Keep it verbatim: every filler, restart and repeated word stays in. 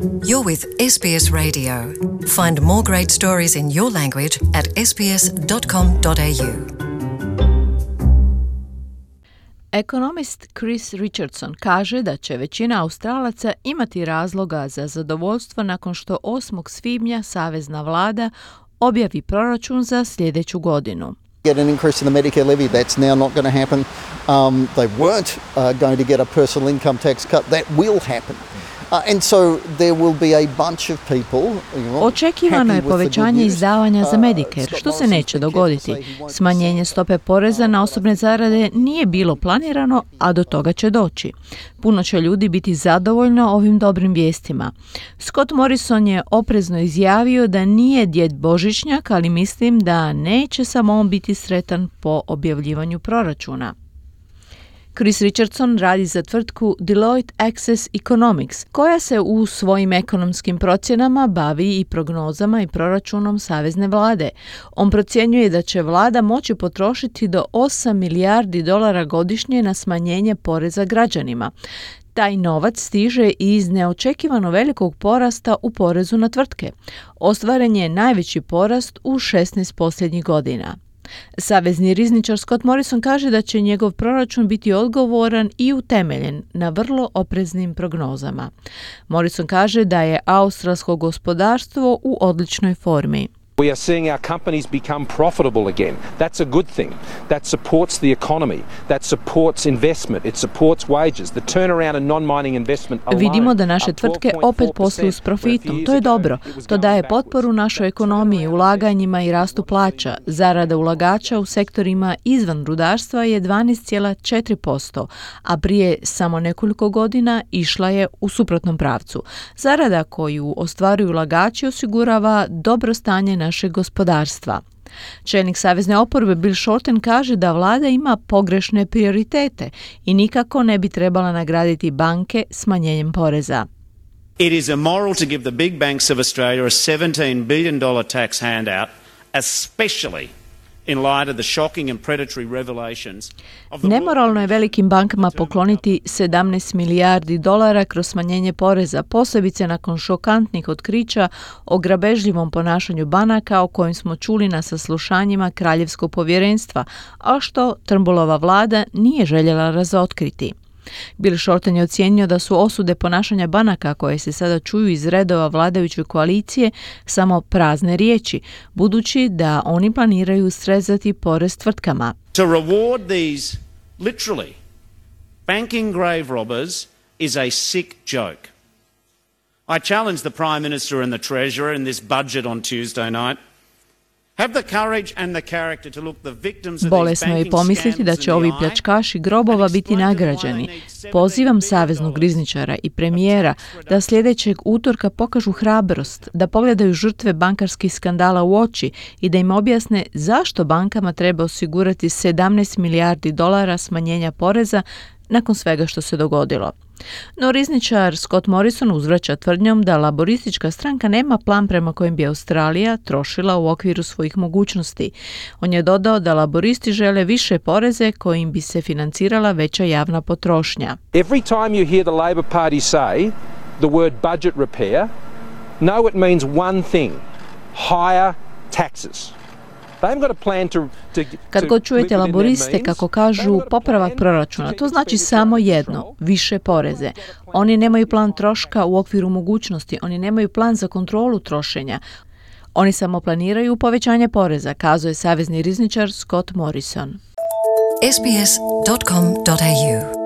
You're with S B S Radio. Find more great stories in your language at s b s dot com dot a u. Ekonomist Chris Richardson kaže da će većina Australaca imati razloga za zadovoljstvo nakon što osmog svibnja savezna vlada objavi proračun za sljedeću godinu. Get an increase in the Medicare levy, that's now not going to happen. Um, they weren't uh, going to get a personal income tax cut, that will happen. Uh, and so there will be a bunch of people, you know, Očekivano je povećanje izdavanja za Medicare, što se neće dogoditi. Smanjenje stope poreza na osobne zarade nije bilo planirano, a do toga će doći. Puno će ljudi biti zadovoljno ovim dobrim vijestima. Scott Morrison je oprezno izjavio da nije djed Božićnjak, ali mislim da neće samo on biti sretan po objavljivanju proračuna. Chris Richardson radi za tvrtku Deloitte Access Economics, koja se u svojim ekonomskim procjenama bavi i prognozama i proračunom savezne vlade. On procjenjuje da će vlada moći potrošiti do osam milijardi dolara godišnje na smanjenje poreza građanima. Taj novac stiže iz neočekivano velikog porasta u porezu na tvrtke. Ostvaren je najveći porast u šesnaest posljednjih godina. Savezni rizničar Scott Morrison kaže da će njegov proračun biti odgovoran i utemeljen na vrlo opreznim prognozama. Morrison kaže da je australsko gospodarstvo u odličnoj formi. We are seeing our companies become profitable again. That's a good thing. That supports the economy. That supports investment. It supports wages. The turnaround in non-mining investment alone. Vidimo da naše tvrtke opet posluju s profitom. To je dobro. To daje potporu našoj ekonomiji, ulaganjima i rastu plaća. Zarada ulagača u sektorima izvan rudarstva je dvanaest zarez četiri posto, a prije samo nekoliko godina išla je u suprotnom pravcu. Zarada koju ostvaruju ulagači osigurava dobro stanje našeg gospodarstva. Čelnik savezne oporbe Bill Shorten kaže da vlada ima pogrešne prioritete i nikako ne bi trebala nagraditi banke smanjenjem poreza. It is immoral to give the big banks of Australia a seventeen billion dollars tax handout, especially in light of the shocking and predatory revelations of the... Nemoralno je velikim bankama pokloniti sedamnaest milijardi dolara kroz smanjenje poreza, posebice nakon šokantnih otkrića o grabežljivom ponašanju banaka o kojim smo čuli na saslušanjima Kraljevskog povjerenstva, a što Turnbullova vlada nije željela razotkriti. Bill Shorten je ocijenio da su osude ponašanja banaka koje se sada čuju iz redova vladajuće koalicije samo prazne riječi, budući da oni planiraju srezati porez tvrtkama. To reward these literally banking grave robbers is a sick joke. I challenge the Prime Minister and the Treasurer in this budget on Tuesday night. Bolesno je pomisliti da će ovi pljačkaši grobova biti nagrađeni. Pozivam saveznog rizničara i premijera da sljedećeg utorka pokažu hrabrost, da pogledaju žrtve bankarskih skandala u oči i da im objasne zašto bankama treba osigurati sedamnaest milijardi dolara smanjenja poreza nakon svega što se dogodilo. No rizničar Scott Morrison uzvraća tvrdnjom da laboristička stranka nema plan prema kojem bi Australija trošila u okviru svojih mogućnosti. On je dodao da laboristi žele više poreze kojim bi se financirala veća javna potrošnja. Every time you hear the Labor Party say the word budget repair, know it means one thing: higher taxes. Kad god čujete laboriste kako kažu popravak proračuna, to znači samo jedno, više poreze. Oni nemaju plan troška u okviru mogućnosti, oni nemaju plan za kontrolu trošenja. Oni samo planiraju povećanje poreza, kazuje savezni rizničar Scott Morrison. s b s dot com dot a u